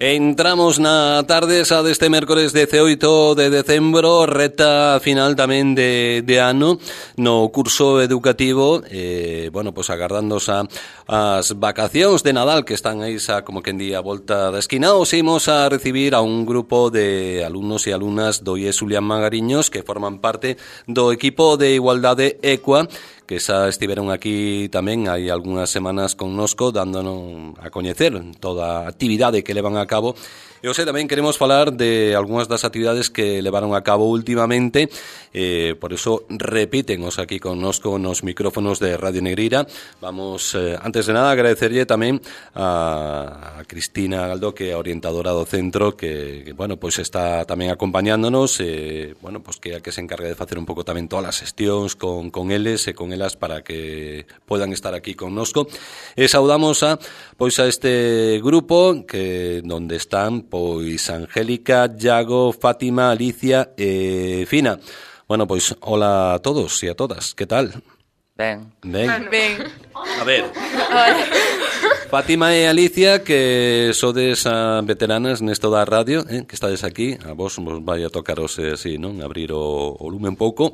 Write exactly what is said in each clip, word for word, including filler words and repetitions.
Entramos na tarde xa deste mércores dezaoito de decembro, reta final tamén de, de ano no curso educativo, eh, bueno, pois agardando xa as vacacións de Nadal que están aí xa como que en día a volta da esquina. Os imos a recibir a un grupo de alumnos e alumnas do I E S Julián Magariños que forman parte do equipo de Igualdade Equa, que xa estiveron aquí tamén hai algunhas semanas connosco dándonos a coñecer toda a actividade que levan a cabo. E hoxe tamén queremos falar de algunhas das actividades que levaron a cabo últimamente, eh, por eso repítenos aquí connosco nos micrófonos de Radio Negreira. Vamos, eh, antes de nada, agradecerlle tamén a, a Cristina Galdó, que é a orientadora do centro, que, que bueno, pois está tamén acompañándonos, eh, bueno, pois que é a que se encarga de facer un pouco tamén todas as xestións con, con eles e con elas para que podan estar aquí connosco. E saudamos a, pois a este grupo que donde están pois Angélica, Iago, Fátima, Alicia e Fina. Bueno, pois hola a todos e a todas, que tal? Ben. Ben. Ben. A ver. Fátima e Alicia, que sodes a veteranas nesto da radio, eh, que estades aquí, a vos vos vai a tocaros así, non? Abrir o, o lume un pouco.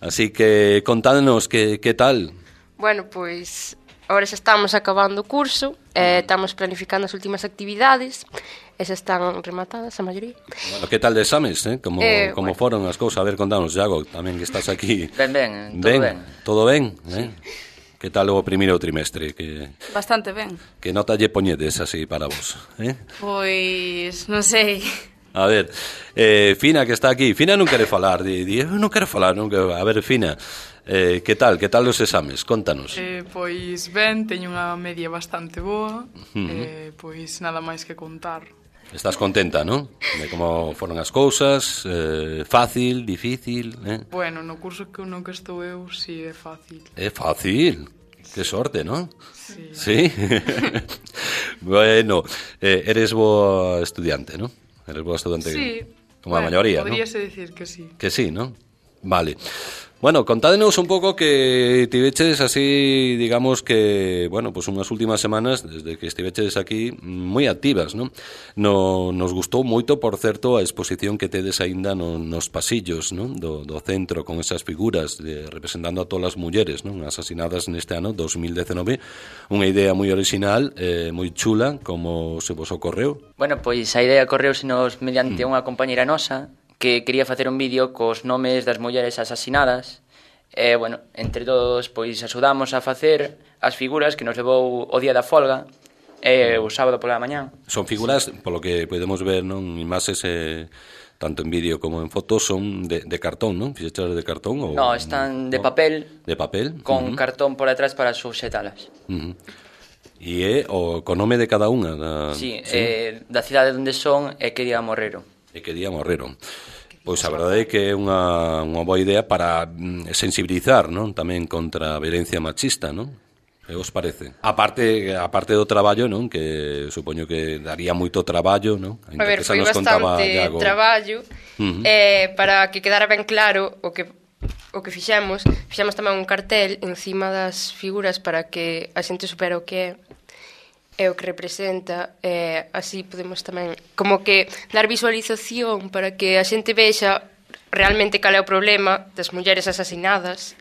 Así que contádenos que, que tal? Bueno, pois agora xa estamos acabando o curso, eh, estamos planificando as últimas actividades, e xa están rematadas a maioría. Bueno, que tal de exames, eh? Como, eh, como bueno. foron as cousas? A ver, contanos, Iago, tamén que estás aquí. Ben, ben, todo ben. ben. Todo ben, sí. eh? Que tal o primeiro trimestre? Que, Bastante ben. que nota lle poñedes así para vos? Eh? Pois, non sei. A ver, eh, Fina, que está aquí. Fina non quere falar. Di, di, eu non quero falar. Non quero... A ver, Fina, eh, que tal? Que tal os exames? Contanos. Eh, pois ben, teño unha media bastante boa. Uh-huh. eh, Pois nada máis que contar. Estás contenta, non? De como foron as cousas, eh, fácil, difícil, eh? Bueno, no curso que no que estou eu, si é fácil. É fácil. Que sorte, non? Sí. Sí? Bueno, eh, eres boa estudiante, non? Eres boa estudiante. Sí. Como a Bueno, maioría, non? podríase dicir que sí. Que sí, non? Vale. Bueno, contádenos un pouco que tiveches así, digamos que, bueno, pues unhas últimas semanas, desde que estiveches aquí, moi activas, non? No, nos gustou moito, por certo, a exposición que tedes aínda no, nos pasillos, non? Do, do centro, con esas figuras de, representando a todas as mulleres, non? Asasinadas neste ano dos mil dezenove. Unha idea moi original, eh, moi chula, como se vos ocorreu. Bueno, pois a idea correusenos mediante unha compañera nosa que quería facer un vídeo cos nomes das mulleres asasinadas. E, bueno, entre todos, pois, axudamos a facer as figuras que nos levou o día da folga e o sábado pola mañán. Son figuras, polo que podemos ver, non, imaxes, eh, tanto en vídeo como en fotos, son de, de cartón, non? Fixeches de cartón? Ou, no, están de papel, de papel, con uh-huh. cartón por atrás para suxetalas. Uh-huh. E é o co nome de cada unha da, sí, sí? Eh, da cidade onde son e que día morreron. E que día morreron. Pois a verdade é que é unha, unha boa idea para sensibilizar, non? Tamén contra a violencia machista, non? Que vos parece? A parte, a parte do traballo, non? Que supoño que daría moito traballo, non? A ver, foi bastante traballo. Uh-huh. eh, Para que quedara ben claro o que o que fixemos, fixemos tamén un cartel encima das figuras para que a xente supera o que é é o que representa, eh, así podemos tamén como que dar visualización para que a xente vexa realmente cal é o problema das mulleres asasinadas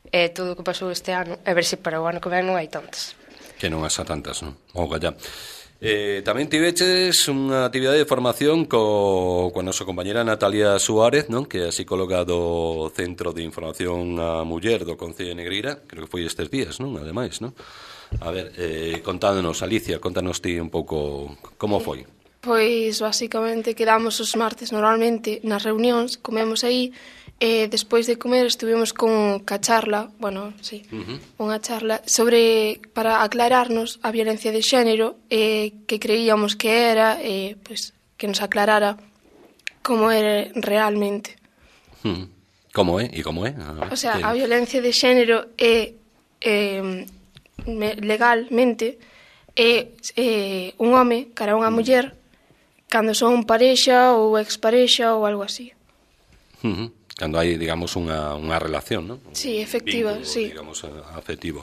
e eh, todo o que pasou este ano, e ver se para o ano que ven non hai tantas. Que non hasa tantas, non? O galla. Eh, tamén tiveches unha actividade de formación co, con a nosa compañera Natalia Suárez, non? Que é a psicóloga do Centro de Información á Muller do Concello de Negreira, creo que foi estes días, non? Ademais, non? A ver, eh, contádenos, Alicia, contanos ti un pouco como foi. Pois, basicamente, quedamos os martes normalmente nas reunións, comemos aí, e despois de comer estuvimos con ca charla, bueno, sí, uh-huh. unha charla sobre, para aclararnos a violencia de xénero, e que creíamos que era, e, pois, que nos aclarara como é realmente. Uh-huh. Como é? E como é? A ver, o sea, que... a violencia de xénero é... é legalmente é, é un home cara a unha muller cando son parexa ou exparexa ou algo así. Uh-huh. Cando hai, digamos, unha, unha relación, non? Sí, efectiva, vínculo, sí. Digamos, afectivo.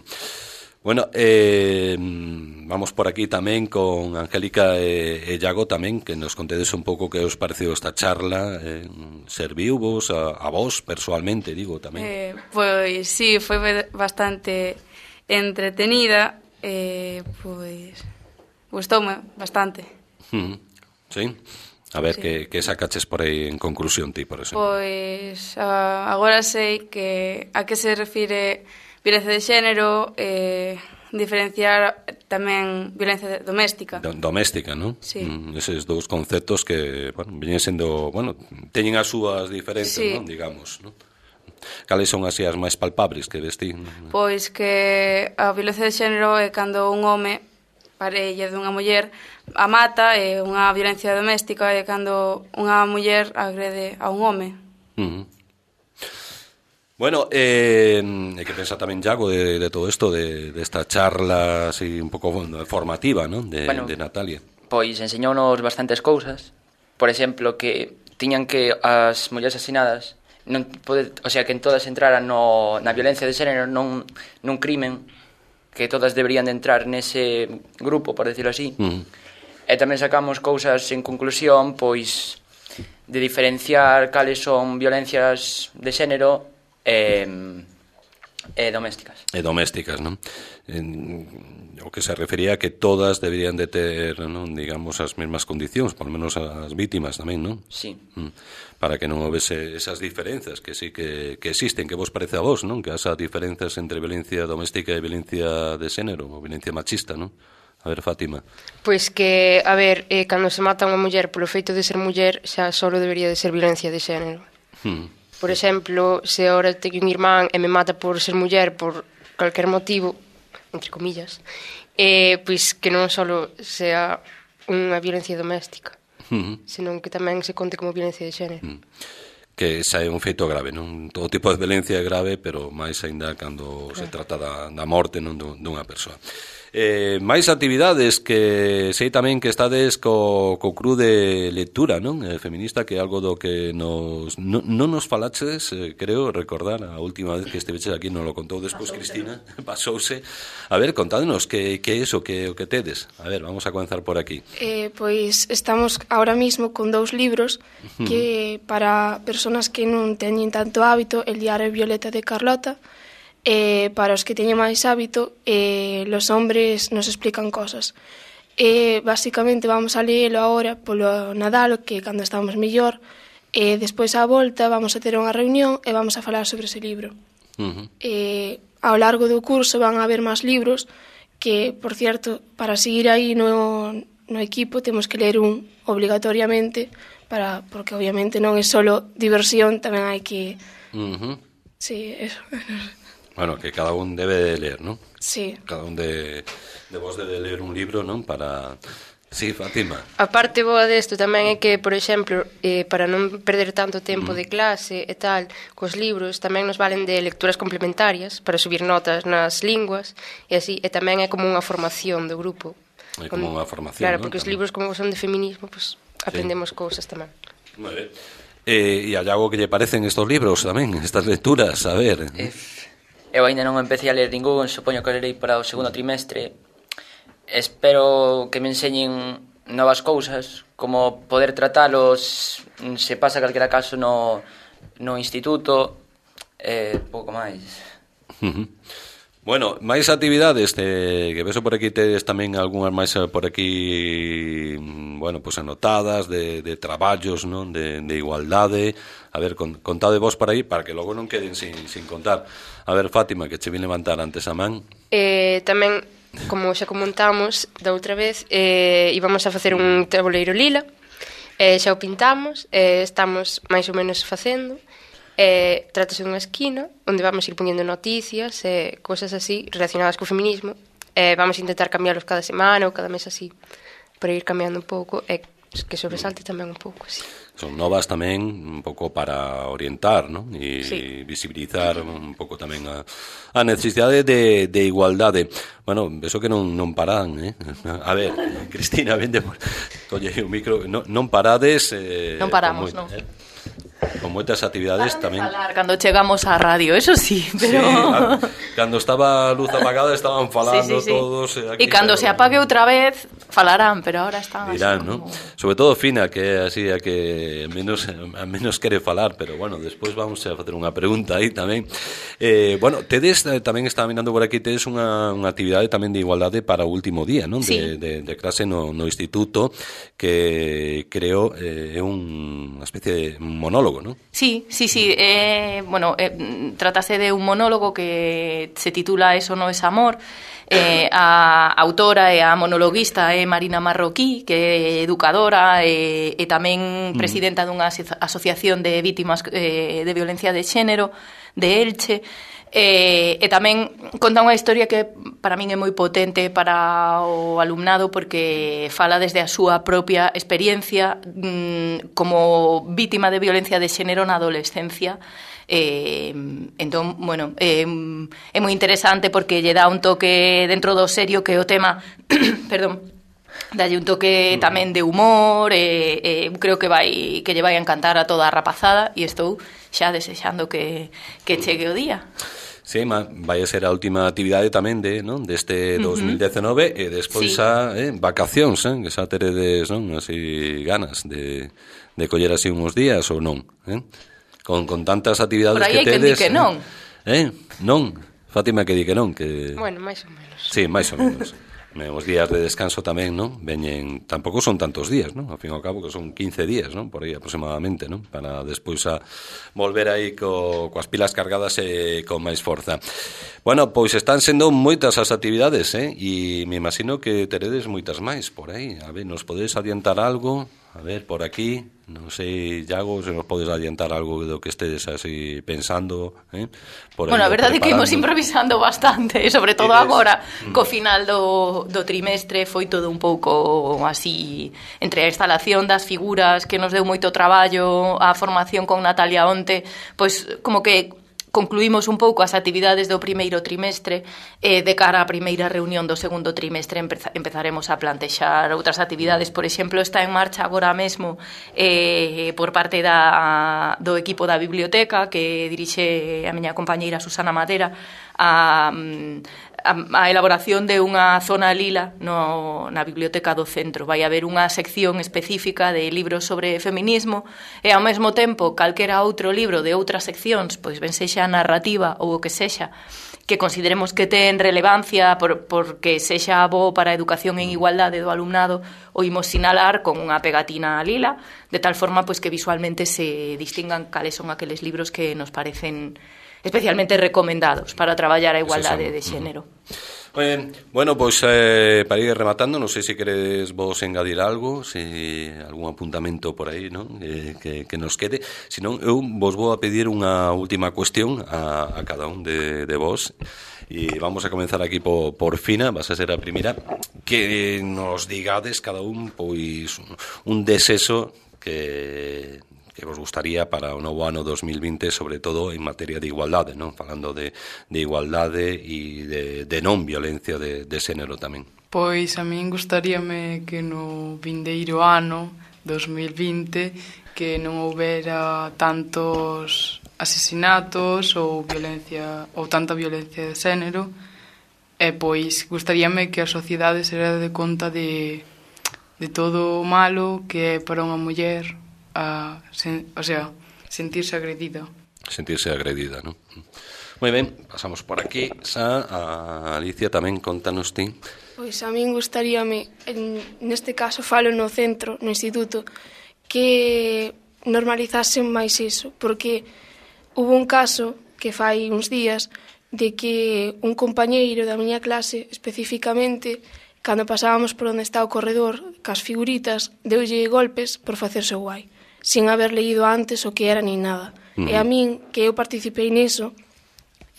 Bueno, eh, vamos por aquí tamén con Angélica e, e Iago tamén, que nos contedes un pouco que os pareceu esta charla, eh, serviu vos a, a vos persoalmente, digo, tamén. Eh, pois sí, foi bastante entretenida, eh, pois gustoume bastante. Uh-huh. Sí? A ver, sí. que, que sacaches por aí en conclusión ti, por exemplo? Pois uh, agora sei que a que se refire violencia de xénero, eh, diferenciar tamén violencia doméstica. Do, doméstica, non? Sí. Mm, eses dous conceptos que, bueno, veñen sendo, bueno, teñen as súas diferentes, sí. non, digamos, non? Cales son así as máis palpables que ves ti? Pois que a violencia de xénero é cando un home parella dunha muller a mata, e unha violencia doméstica é cando unha muller agrede a un home. Uh-huh. Bueno, eh, hai que pensar tamén, Iago, de, de todo isto, de, de esta charla así un pouco formativa, non? De, bueno, de Natalia. Pois enseñounos bastantes cousas. Por exemplo, que tiñan que as mulleres asesinadas non pode, o sea, que en todas entraran no, na violencia de xénero, non nun crimen, que todas deberían de entrar nese grupo, por decirlo así. Uh-huh. E tamén sacamos cousas en conclusión, pois, de diferenciar cales son violencias de xénero e, e domésticas. E domésticas, non? En, o que se refería a que todas deberían de ter, non, digamos, as mesmas condicións, por lo menos as vítimas tamén, non? Sí. Mm. Para que non houvese esas diferenzas que sí que, que existen, que vos parece a vos, non? Que esas diferenzas entre violencia doméstica e violencia de xénero, ou violencia machista, non? A ver, Fátima. Pois que, a ver, eh, cando se mata unha muller polo feito de ser muller, xa só debería de ser violencia de xénero. Mm. Por exemplo, se ahora teño un irmán e me mata por ser muller por calquer motivo, entre comillas, eh, pois que non só sea unha violencia doméstica, uh-huh. senón que tamén se conte como violencia de xénero. Uh-huh. Que xa é un feito grave, non? Todo tipo de violencia é grave, pero máis aínda cando claro. se trata da, da morte, non, dunha persoa. Eh, máis actividades que sei tamén que estades co, co cru de lectura, non? Eh, feminista, que é algo do que nos non no nos falaches, eh, creo recordar a última vez que esteveches aquí, non lo contou despois Cristina, pasouse. A ver, contádenos que que é iso, que o que tedes. A ver, vamos a comenzar por aquí. Eh, pois estamos ahora mismo con dous libros que para persoas que non teñen tanto hábito, El diario Violeta de Carlota. Eh, para os que teñen máis hábito, eh, los hombres nos explican cosas. Eh, basicamente vamos a leelo agora polo Nadal, que cando estamos mellor, e eh, despois á volta vamos a ter unha reunión e vamos a falar sobre ese libro. Uh-huh. Eh, ao largo do curso van a haber máis libros que, por cierto, para seguir aí no, no equipo temos que ler un obligatoriamente, para, porque obviamente non é solo diversión, tamén hai que... Uh-huh. Sí, eso... Bueno, que cada un debe de ler, ¿no? Sí. Cada un de, de vos debe de ler un libro, ¿no? Para... Sí, Fátima. A parte boa desto tamén é que, por exemplo, eh, para non perder tanto tempo mm. de clase e tal, cos libros tamén nos valen de lecturas complementarias para subir notas nas linguas e así, e tamén é como unha formación do grupo. É como unha formación, claro, ¿no? Porque tamén. Os libros como son de feminismo, pues aprendemos sí. cousas tamén. Moi ben. Eh, e a Iago, que lle parecen estos libros tamén, estas lecturas? A ver... Eh, eu ainda non empecé a ler ningún, supoño que lerei para o segundo trimestre. Espero que me enseñen novas cousas, como poder tratalos se pasa calquera caso no, no instituto, e eh, pouco máis. Uh-huh. Bueno, máis actividades te, que veso por aquí tedes tamén algunhas máis por aquí, bueno, pues anotadas de, de traballos, non, de, de igualdade. A ver, con, contade vos por aí para que logo non queden sin, sin contar. A ver, Fátima, que che vin levantar antes a man. Eh, tamén, como xa comentamos da outra vez, eh, íbamos a facer un tabuleiro lila, eh, xa o pintamos, eh, estamos máis ou menos facendo. Eh, trátase dunha esquina onde vamos ir poñendo noticias e eh, cosas así relacionadas co feminismo. Eh, vamos a intentar cambiarlos cada semana ou cada mes así, para ir cambiando un pouco e eh, que sobresalte tamén un pouco así. Son novas tamén un pouco para orientar, ¿no? E sí. visibilizar un pouco tamén a, a necesidade de, de igualdade. Bueno, eso que non, non paran, eh? A ver, Cristina, vende por... Oye, o micro, no, non parades... Eh, non paramos, moi, non. Eh? Con con moitas actividades tamén. Falar cando chegamos á radio, eso sí, pero... Sí, cando estaba a luz apagada estaban falando sí, sí, sí. todos. E cando pero... se apague outra vez, falarán, pero ahora están dirán, así ¿no? como... Sobre todo Fina, que é así a que menos, a menos quere falar, pero bueno, despois vamos a facer unha pregunta aí tamén. Eh, bueno, tedes, tamén estaba mirando por aquí, tedes unha, unha actividade tamén de igualdade para o último día, non? Sí. De, de, de clase no, no instituto, que creo é eh, unha especie de monólogo, non? Sí, sí, sí, eh, bueno, eh, tratase de un monólogo que se titula Eso no es amor. Eh, a autora e a monologuista é Marina Marroquí, que é educadora e, e tamén presidenta dunha asociación de vítimas eh, de violencia de xénero de Elche. E, e tamén conta unha historia que para min é moi potente para o alumnado, porque fala desde a súa propia experiencia mmm, como vítima de violencia de xénero na adolescencia. Eh, entón, bueno, eh, é moi interesante porque lle dá un toque dentro do serio que é o tema perdón, dalle un toque tamén de humor e, e creo que vai que lle vai a encantar a toda a rapazada e estou xa desexando que, que chegue o día. Sí, vai a ser a última actividade tamén de, non, deste dos mil dezenove e despois sí. a eh, vacacións, eh, que xa teredes, non, así ganas de, de coller así uns días ou non, eh? Con, con tantas actividades que tedes. Por aí hai que di que non. Eh? Non, Fátima que di que non, que... Bueno, máis ou menos. Sí, máis ou menos. Os días de descanso tamén, non? Veñen, tampouco son tantos días, non? Ao fin e ao cabo que son quince días, non? Por aí aproximadamente, non? Para despois a volver aí co, coas pilas cargadas e con máis forza. Bueno, pois están sendo moitas as actividades, eh? E me imagino que teredes moitas máis por aí. A ver, nos podedes adiantar algo? A ver, por aquí, non sei, Iago, se nos podes adiantar algo do que estedes así pensando, eh? Por bueno, a verdade é que imos improvisando bastante, sobre todo Eres... agora, mm. co final do, do trimestre foi todo un pouco así, entre a instalación das figuras que nos deu moito traballo, a formación con Natalia onte, pois como que concluímos un pouco as actividades do primeiro trimestre e de cara á primeira reunión do segundo trimestre empeza, empezaremos a plantexar outras actividades. Por exemplo, está en marcha agora mesmo eh, por parte da, do equipo da biblioteca que dirixe a miña compañeira Susana Madera a, a, a elaboración de unha zona lila no, na biblioteca do centro. Vai haber unha sección específica de libros sobre feminismo e ao mesmo tempo calquera outro libro de outras seccións, pois ben sexa narrativa ou o que sexa, que consideremos que ten relevancia por, porque sexa bo para a educación en igualdade do alumnado, o imos sinalar con unha pegatina lila, de tal forma pois que visualmente se distingan cales son aqueles libros que nos parecen especialmente recomendados para traballar a igualdade de xénero. Ben, bueno, pois eh, para ir rematando, non sei se queredes vos engadir algo, se algún apuntamento por aí, non? Eh, que, que nos quede. Se non, eu vos vou a pedir unha última cuestión a, a cada un de, de vos. E vamos a comenzar aquí por, por Fina, vas a ser a primeira, que nos digades cada un pois un desexo que... que vos gustaría para o novo ano dos mil vinte, sobre todo en materia de igualdade, non? Falando de, de igualdade e de, de non violencia de, de xénero tamén. Pois a min gustaríame que no vindeiro ano dos mil vinte que non houbera tantos asesinatos ou violencia ou tanta violencia de xénero, e pois gustaríame que a sociedade se dera de conta de, de todo o malo que é para unha muller a, sen, o sea, sentirse agredida. Sentirse agredida, non? Moi ben, pasamos por aquí. Xa, a Alicia tamén contanos ti. Pois a min gustaríame, en, neste caso falo no centro, no instituto, que normalizasen máis iso, porque hubo un caso que fai uns días de que un compañeiro da miña clase, especificamente, cando pasábamos por onde está o corredor, cas figuritas, deulle golpes por facerse guai, sin haber leído antes o que era ni nada. Uh-huh. E a min, que eu participei niso,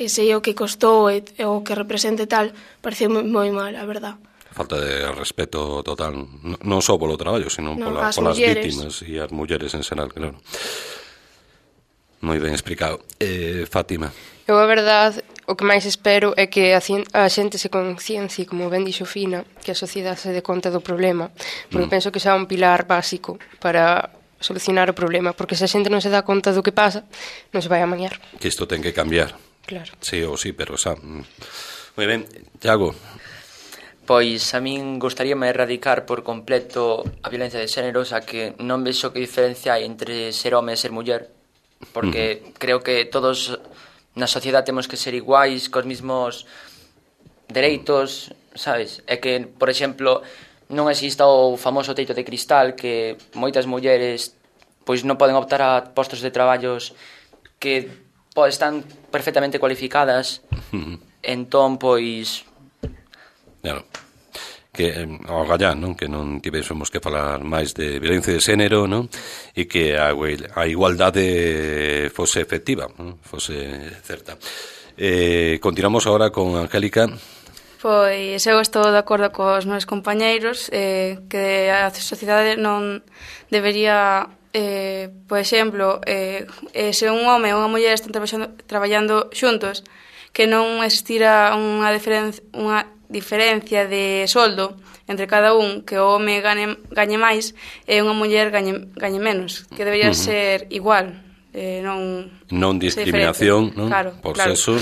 e sei o que costou e, e o que represente tal, pareceu moi mal, a verdad. Falta de respeto total, non só polo traballo, sino no, pola, polas vítimas e as mulleres en xeral, claro. Moi ben explicado. Eh, Fátima. Eu, a verdade, o que máis espero é que a, a xente se conciencia, como ben dixo Fina, que a sociedade se dé conta do problema, porque mm. penso que xa é un pilar básico para solucionar o problema, porque se a xente non se dá conta do que pasa, non se vai amañar. Que isto ten que cambiar. Claro. Sí ou sí, pero xa... Moi ben, Iago. Pois a min gustaríame erradicar por completo a violencia de xénero, xa que non vexo que diferencia hai entre ser home e ser muller, porque uh-huh. creo que todos na sociedade temos que ser iguais, cos mismos dereitos, sabes? É que, por exemplo, non exista o famoso teito de cristal, que moitas mulleres pois non poden optar a postos de traballos que pois, están perfectamente cualificadas. Uh-huh. Entón, pois... Claro. Que ao gallá, non? Que non tivésemos que falar máis de violencia de xénero, non? E que a, a igualdade fose efectiva, non? Fose certa. Eh, continuamos agora con Angélica. Pois eu estou de acordo cos meus compañeiros eh, que a sociedade non debería, eh, por exemplo, eh, se un home e unha muller están traballando, traballando xuntos, que non existira unha diferencia, unha diferencia de soldo entre cada un, que o home gañe, gañe máis e unha muller gañe, gañe menos, que debería uh-huh. ser igual, eh, non non discriminación, non? Claro, por claro. sexo.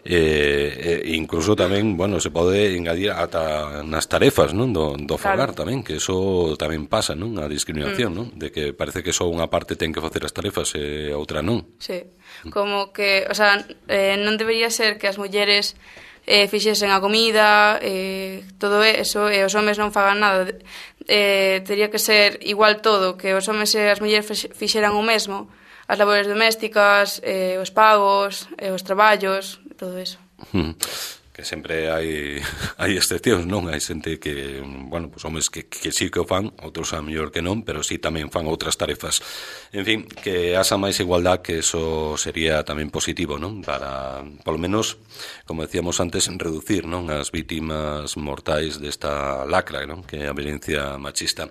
Eh, eh, incluso tamén, bueno, se pode engadir ata nas tarefas, non, do, do fogar claro. tamén, que eso tamén pasa, non, a discriminación, mm. non, de que parece que só unha parte ten que facer as tarefas e outra non. Sí, como que, o sea, eh, non debería ser que as mulleres eh, fixesen a comida, eh, todo eso, e os homes non fagan nada. Eh, teria que ser igual todo, que os homes e as mulleres fixeran o mesmo, as labores domésticas, eh, os pagos, eh, os traballos, todo eso. Hmm. Que sempre hai hai excepcións, non? Hai xente que, bueno, pues homes que, que sí que o fan, outros a mellor que non, pero sí tamén fan outras tarefas. En fin, que haxa máis igualdad, que eso sería tamén positivo, non? Para, polo menos, como decíamos antes, reducir, non, as vítimas mortais desta lacra, non? Que é a violencia machista.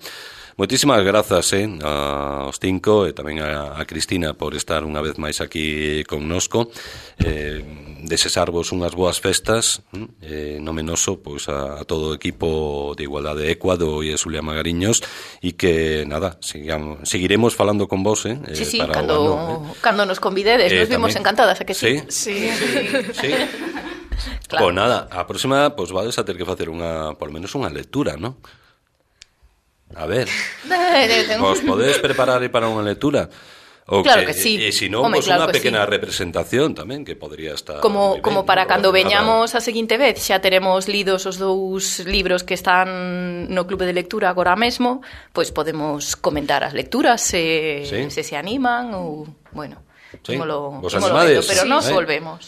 Moitísimas grazas eh, aos cinco e tamén a, a Cristina por estar unha vez máis aquí connosco. Eh, desexarvos unhas boas festas, eh, no menoso pois a, a todo o equipo de Igualdade Ecuado e a Xulia Magariños, e que, nada, sigamos, seguiremos falando con vos, eh? Sí, sí, para cando, o ano, eh? cando nos convidedes, eh, nos vimos tamén encantadas, a que sí? Sí, sí. sí. Claro. Pois nada, a próxima, pois vades a ter que facer unha, por menos unha lectura, non? A ver, vos podedes preparar para unha lectura? O claro que, que sí. E se non, Home, pues claro unha pequena sí. representación tamén, que podría estar... Como, ben, como para ¿no? cando veñamos a seguinte vez, xa teremos lidos os dous libros que están no Clube de Lectura agora mesmo, pois podemos comentar as lecturas, se sí. se, se animan, ou, bueno, sí. ímolo, Vos ímolo animades, vendo, pero sí. nos eh? volvemos.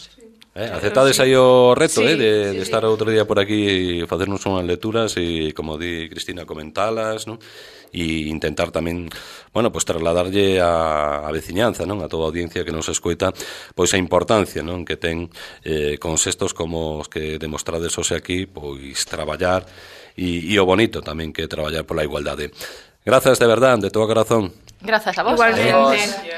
Eh, aceptades aí o reto sí, eh, de, sí, de sí. estar outro día por aquí e facernos unhas lecturas e, como di Cristina, comentalas, non? E intentar tamén, bueno, pues trasladarlle a, a veciñanza, non? A toda a audiencia que nos escoita, pois a importancia, non? Que ten eh, con xestos como os que demostrades hoxe aquí, pois traballar e, e o bonito tamén que é traballar pola igualdade. Grazas de verdade, de todo corazón. Grazas a vos. Igualmente.